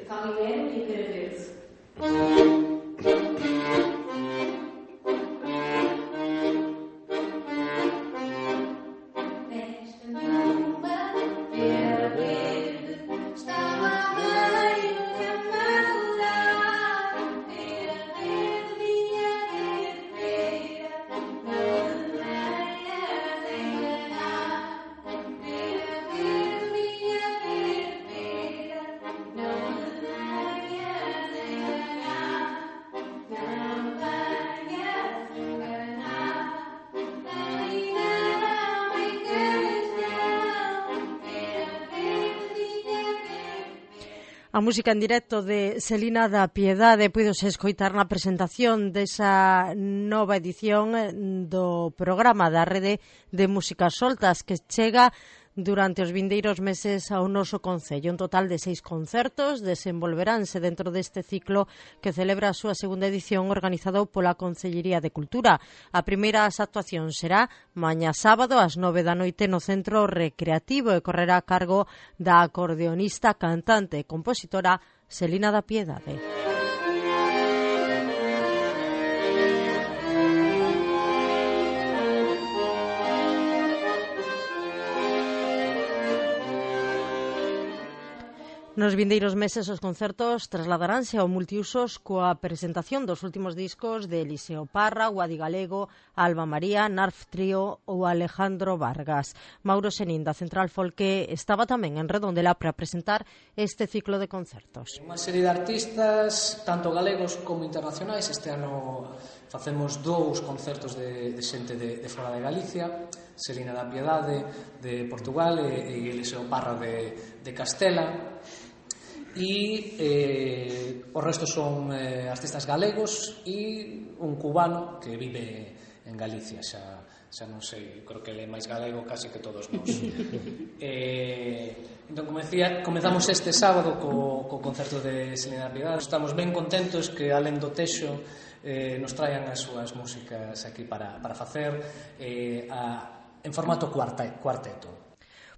Calimero e Pera Verde. A música en directo de Celina da Piedade puidose escoitar na presentación desa nova edición do programa da Rede de Músicas Soltas que chega durante os vindeiros meses ao noso concello. Un total de 6 concertos desenvolveránse dentro deste ciclo que celebra a súa segunda edición organizado pola Concellería de Cultura. A primeira actuación será mañá sábado ás 9 da noite no Centro Recreativo e correrá a cargo da acordeonista, cantante e compositora Celina da Piedade. Nos vindeiros meses os concertos trasladaránse ao multiusos coa presentación dos últimos discos de Eliseo Parra, Guadi Galego, Alba María, Narf Trío ou Alejandro Vargas. Mauro Senín, da Central Folque, estaba tamén en Redondela para presentar este ciclo de concertos. Unha serie de artistas, tanto galegos como internacionais. Este ano facemos 2 concertos de xente de fora de Galicia, Celina da Piedade de Portugal e Eliseo Parra de Castela. E o resto son artistas galegos e un cubano que vive en Galicia, xa non sei, creo que ele é máis galego casi que todos nós. Entón, como decía, comezamos este sábado co concerto de Celina da Piedade. Estamos ben contentos que, alén do texo, nos traian as súas músicas aquí para facer en formato cuarteto.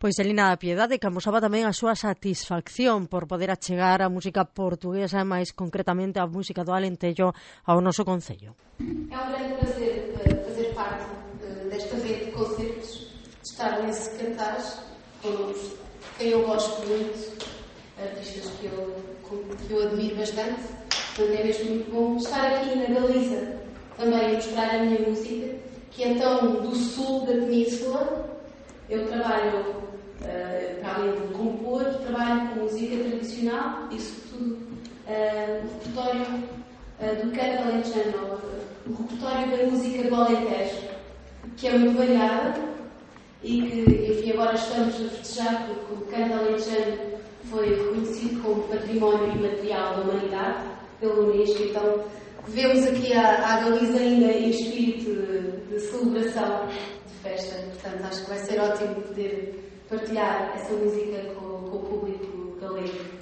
Pois Celina da Piedade que amosaba tamén a súa satisfacción por poder achegar a música portuguesa e máis concretamente a música do Alentejo ao noso concello. É un grande prazer fazer parte desta rede de concertos, estar nesse cartaz com quem eu gosto muito, artistas que eu admiro bastante. Portanto, é mesmo muito bom estar aqui na Galiza também a mostrar a minha música, que é tão do sul da península. Eu trabalho para além de compor, trabalho com música tradicional e, sobretudo, o repertório do canto alentejano, o repertório da música do Alentejo, que é muito variada e que, enfim, agora estamos a festejar porque o canto alentejano foi reconhecido como património imaterial da humanidade pelo Unesco. Então, vemos aqui a Galiza ainda em espírito de celebração, de festa. Portanto, acho que vai ser ótimo poder partilhar essa música com o público galego.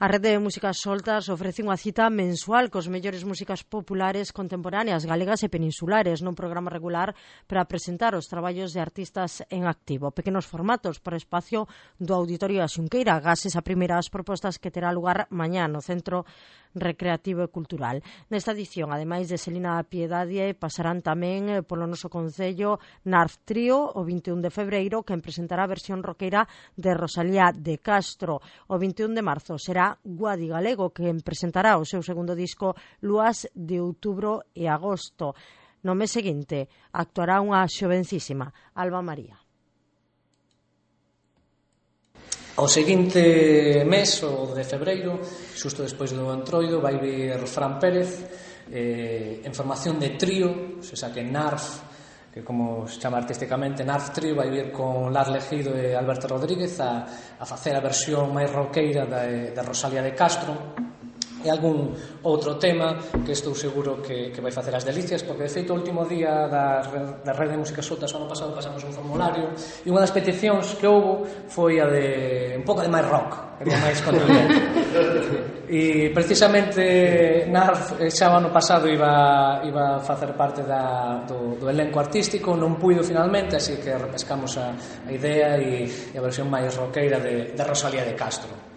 A Rede de Músicas Soltas ofrece unha cita mensual cos mellores músicas populares contemporáneas galegas e peninsulares nun programa regular para presentar os traballos de artistas en activo. Pequenos formatos por espacio do Auditorio da Xunqueira, gases a primeiras propostas que terá lugar mañá no Centro Recreativo e Cultural. Nesta edición, ademais de Celina da Piedade, pasarán tamén polo noso concello Narf Trío o 21 de febreiro, que presentará a versión roqueira de Rosalía de Castro. O 21 de marzo será Guadi Galego, que presentará o seu segundo disco Lúas de outubro e agosto. No mes seguinte actuará unha xovencísima, Alba María. O seguinte mes, o de febreiro, xusto despois do Entroido, vai vir Fran Pérez en formación de trío, o sea que Narf, que como se chama artísticamente Narf Trío, vai vir con Lar Legido e Alberto Rodríguez a facer a versión máis roqueira de Rosalía de Castro e algún outro tema que estou seguro que vai facer as delicias, porque de feito o último día da Rede de Músicas Soltas o ano pasado pasamos un formulario e unha das peticións que houbo foi a de un pouco de máis rock, que máis contundente. E precisamente Narf xa o ano pasado iba a facer parte do elenco artístico, non puido finalmente, así que repescamos a idea e a versión máis roqueira de Rosalía de Castro.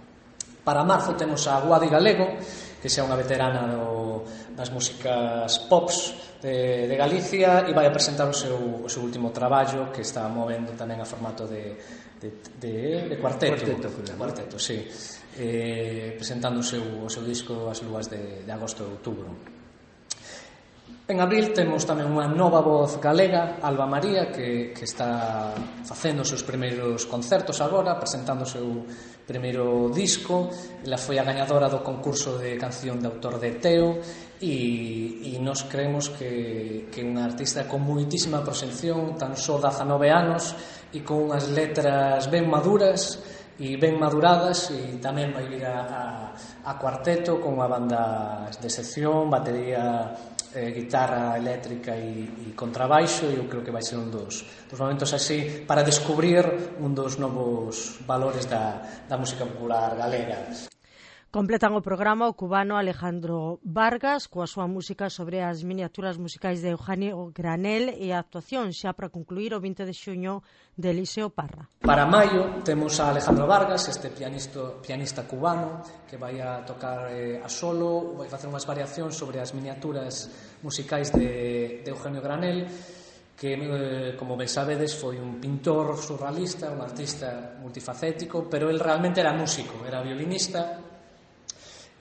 Para marzo temos a Guadi Galego, que xa unha veterana das músicas pops de Galicia, e vai a presentar o seu último traballo, que está movendo tamén a formato de cuarteto, sí, presentando o seu disco As Lúas de agosto e outubro. En abril temos tamén unha nova voz galega, Alba María, que está facendo os seus primeiros concertos agora, presentando o seu primeiro disco. Ela foi a gañadora do concurso de canción de autor de Teo, e nos creemos que é unha artista con moitísima proxección, tan só 19 anos, e con unhas letras ben maduras e ben maduradas, e tamén vai vir a cuarteto con unha banda de sección, batería, guitarra eléctrica e contrabaixo, e eu creo que vai ser un dos momentos así para descubrir un dos novos valores da música popular galega. Completan o programa o cubano Alejandro Vargas coa súa música sobre as miniaturas musicais de Eugenio Granel, e a actuación xa para concluir o 20 de xuño de Eliseo Parra. Para maio temos a Alejandro Vargas, este pianista cubano, que vai a tocar a solo, vai facer unhas variacións sobre as miniaturas musicais de Eugenio Granel, que, como ben sabedes, foi un pintor surrealista, un artista multifacético, pero el realmente era músico, era violinista,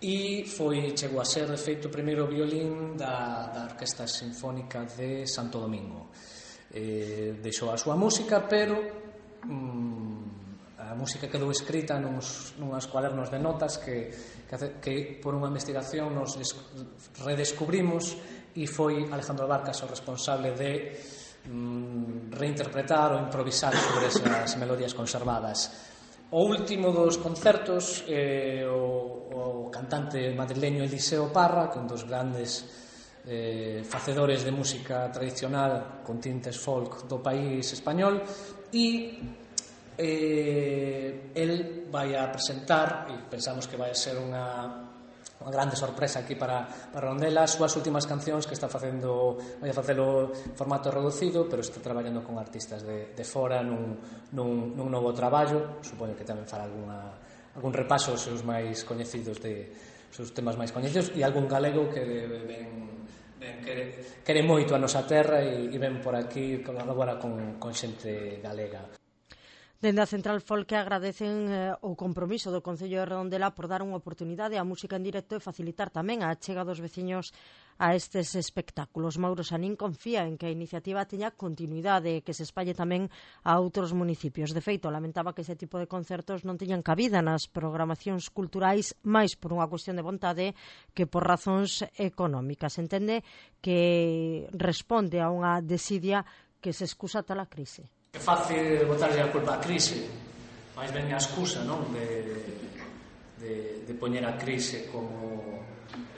e chegou a ser, de feito, o primeiro violín da Orquesta Sinfónica de Santo Domingo. Deixou a súa música, pero a música quedou escrita nuns cuadernos de notas que por unha investigación nos redescubrimos, e foi Alejandro Vargas o responsable de reinterpretar ou improvisar sobre esas melodías conservadas. O último dos concertos, o cantante madrileño Eliseo Parra, que é un dos grandes facedores de música tradicional con tintes folk do país español, e el vai a presentar, e pensamos que vai a ser unha grande sorpresa aquí para Redondela, as súas últimas cancións que está facendo, vai a facelo en formato reducido, pero está traballando con artistas de fora nun novo traballo. Supoño que tamén fará algún repaso aos seus máis coñecidos, seus temas máis coñecidos, e algún galego que quere moito a nosa terra e ven por aquí colabora con xente galega. Dende a Central Folk agradecen o compromiso do Concello de Redondela por dar unha oportunidade á música en directo e facilitar tamén a achega dos veciños a estes espectáculos. Mauro Sanín confía en que a iniciativa teña continuidade e que se espalle tamén a outros municipios. De feito, lamentaba que ese tipo de concertos non teñan cabida nas programacións culturais máis por unha cuestión de vontade que por razóns económicas. Entende que responde a unha desidia que se excusa tal a crise. É fácil botarlle a culpa á crise, máis ben a excusa, non? De poñer a crise como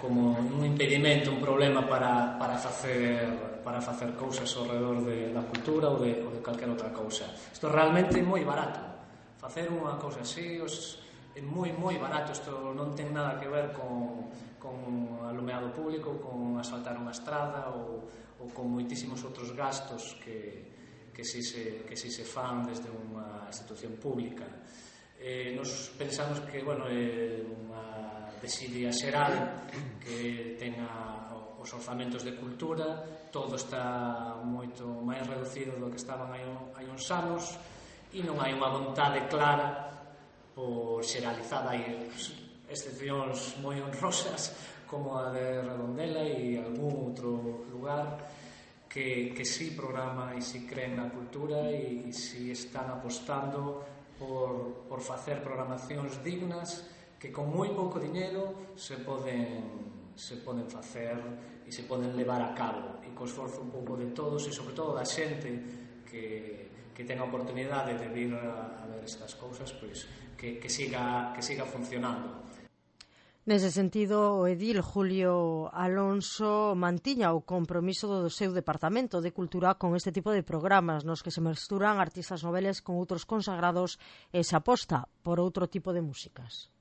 un impedimento, un problema para facer cousas ao redor da cultura ou de calquera outra cousa. Isto realmente é moi barato. Facer unha cousa así é moi barato. Isto non ten nada que ver con alumeado público, con asfaltar unha estrada ou con moitísimos outros gastos que si se fan desde unha institución pública. Nos pensamos que é unha desidia xeral que tenga os orzamentos de cultura, todo está moito máis reducido do que estaban hai uns anos, e non hai unha vontade clara por xeralizada. Hai excepcións moi honrosas como a de Redondela e algún outro lugar que sí programa e sí creen na cultura e sí están apostando por facer programacións dignas que con moi pouco diñeiro se poden facer e se poden levar a cabo, e co esforzo un pouco de todos e sobre todo da xente que ten a oportunidade de vir a ver estas cousas, pois que siga funcionando. Nese sentido, o edil Julio Alonso mantiña o compromiso do seu Departamento de Cultura con este tipo de programas nos que se mesturan artistas noveles con outros consagrados e se aposta por outro tipo de músicas.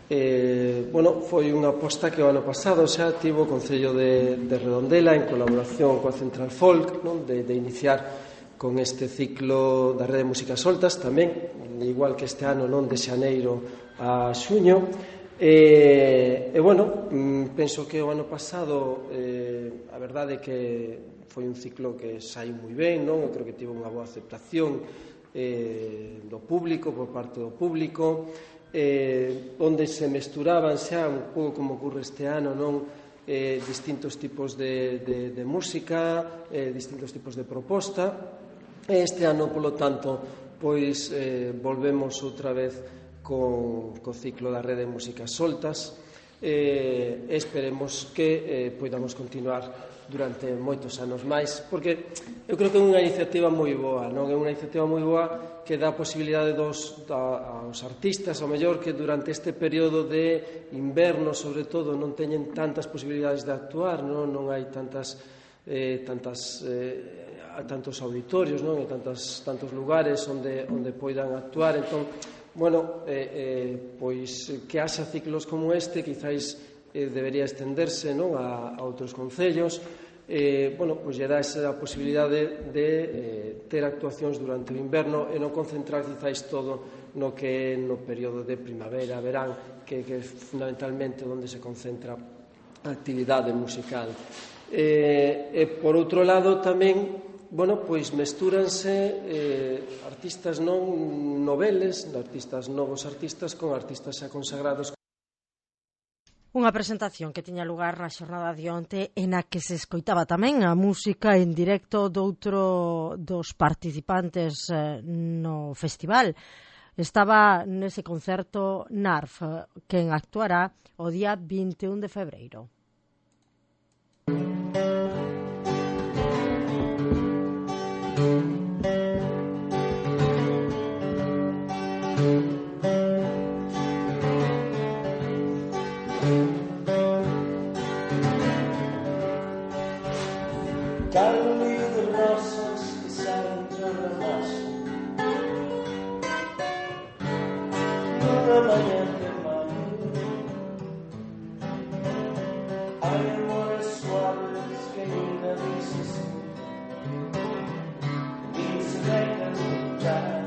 Foi unha aposta que o ano pasado xa tivo o Concello de Redondela en colaboración coa Central Folk, non? de iniciar con este ciclo da Rede de Músicas Soltas tamén, igual que este ano, non, de xaneiro a xuño. Bueno, penso que o ano pasado a verdade é que foi un ciclo que saiu moi ben, non? Eu creo que tivo unha boa aceptación do público, por parte do público, onde se mesturaban xa un pouco como ocurre este ano, non? Distintos tipos de música, distintos tipos de proposta. Este ano, polo tanto, pois volvemos outra vez co ciclo da Rede de Músicas Soltas. Esperemos que poidamos continuar durante moitos anos máis, porque eu creo que é unha iniciativa moi boa, non? É unha iniciativa moi boa que dá a posibilidade aos artistas, ao mellor, que durante este período de inverno, sobre todo, non teñen tantas posibilidades de actuar, non hai tantos auditorios, non? E tantos lugares onde poidan actuar. Entón, bueno, pois que haxa ciclos como este, quizáis debería estenderse, non, a outros concellos. Bueno, pois lle dá esa posibilidade de ter actuacións durante o inverno e non concentrar quizáis todo no que é no período de primavera, verán, que é fundamentalmente onde se concentra a actividade musical. E por outro lado tamén, bueno, pois mestúranse artistas non noveles, novos artistas con artistas xa consagrados. Unha presentación que tiña lugar na xornada de onte e na que se escoitaba tamén a música en directo doutro dos participantes no festival. Estaba nese concerto NARF, quen actuará o día 21 de febreiro. Carolina de rosas que saen sobre a raça nunha mañá de maio. Hai amores suaves que ainda dices e se dejan escuchar.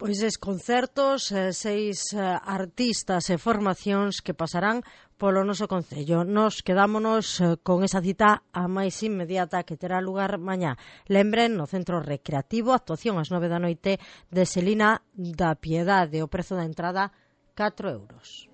Pois es concertos, 6 artistas e formacións que pasarán polo noso concello. Nos quedámonos con esa cita a máis inmediata que terá lugar mañá. Lembren, no Centro Recreativo, actuación ás 9 da noite de Selina da Piedade. O prezo da entrada, 4 euros.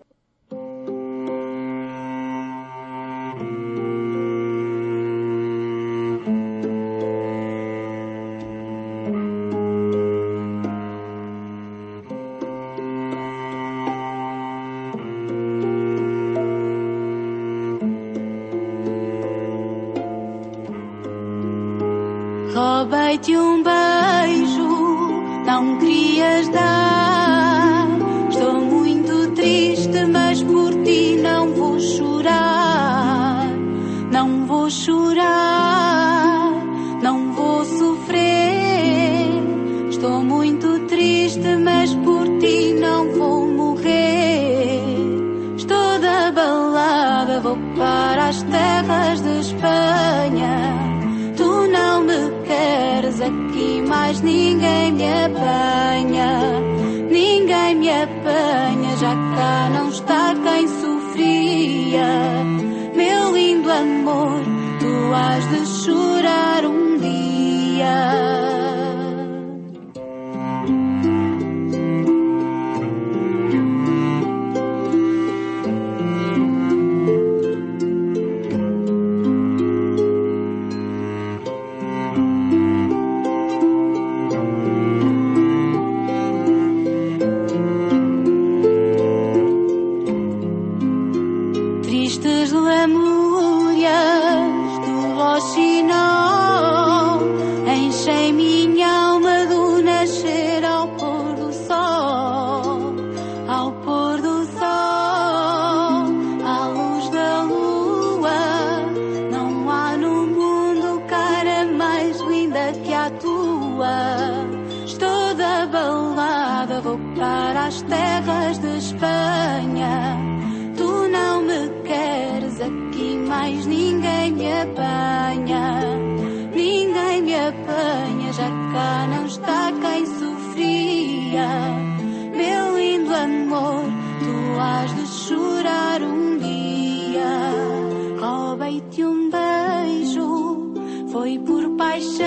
Roubei-te um beijo, não querias dar. Estou muito triste, mas por ti não vou chorar. Não vou chorar, não vou sofrer. Estou muito triste, mas por ti não vou morrer. Estou da balada, vou para as terras de Espanha. Tu não me queres aqui, mas ninguém me apanha. Ninguém me apanha, já cá não está quem sofria. Meu lindo amor, tu has de chorar um dia. Tristes lemúrias do Rocinante minha alma do nascer ao pôr do sol, ao pôr do sol, à luz da lua. Não há no mundo cara mais linda que a tua. Estou da balada, vou para as terras de Espanha. Tu não me queres aqui, mais ninguém me apanha. Ninguém me apanha, já cá não está quem sofria. Meu lindo amor, tu has de chorar um dia. Roubei-te um beijo, foi por paixão.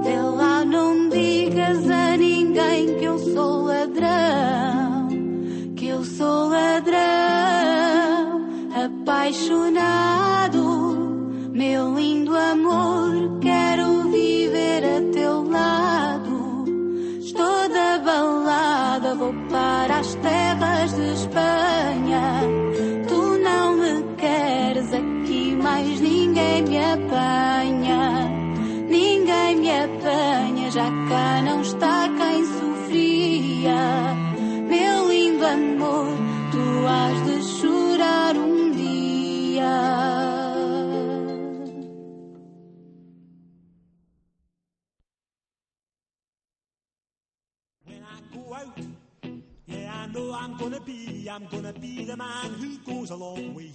Vê lá, não digas a ninguém que eu sou ladrão, que eu sou ladrão, apaixonado. Meu lindo amor, quero viver a teu lado. Estou da balada, vou para as terras de Espanha. Tu não me queres aqui, mais ninguém me apanha. Ninguém me apanha, já cá não está quem sofria. Meu lindo amor, tu has de chorar um dia. Yeah, I know I'm gonna be the man who goes along with you.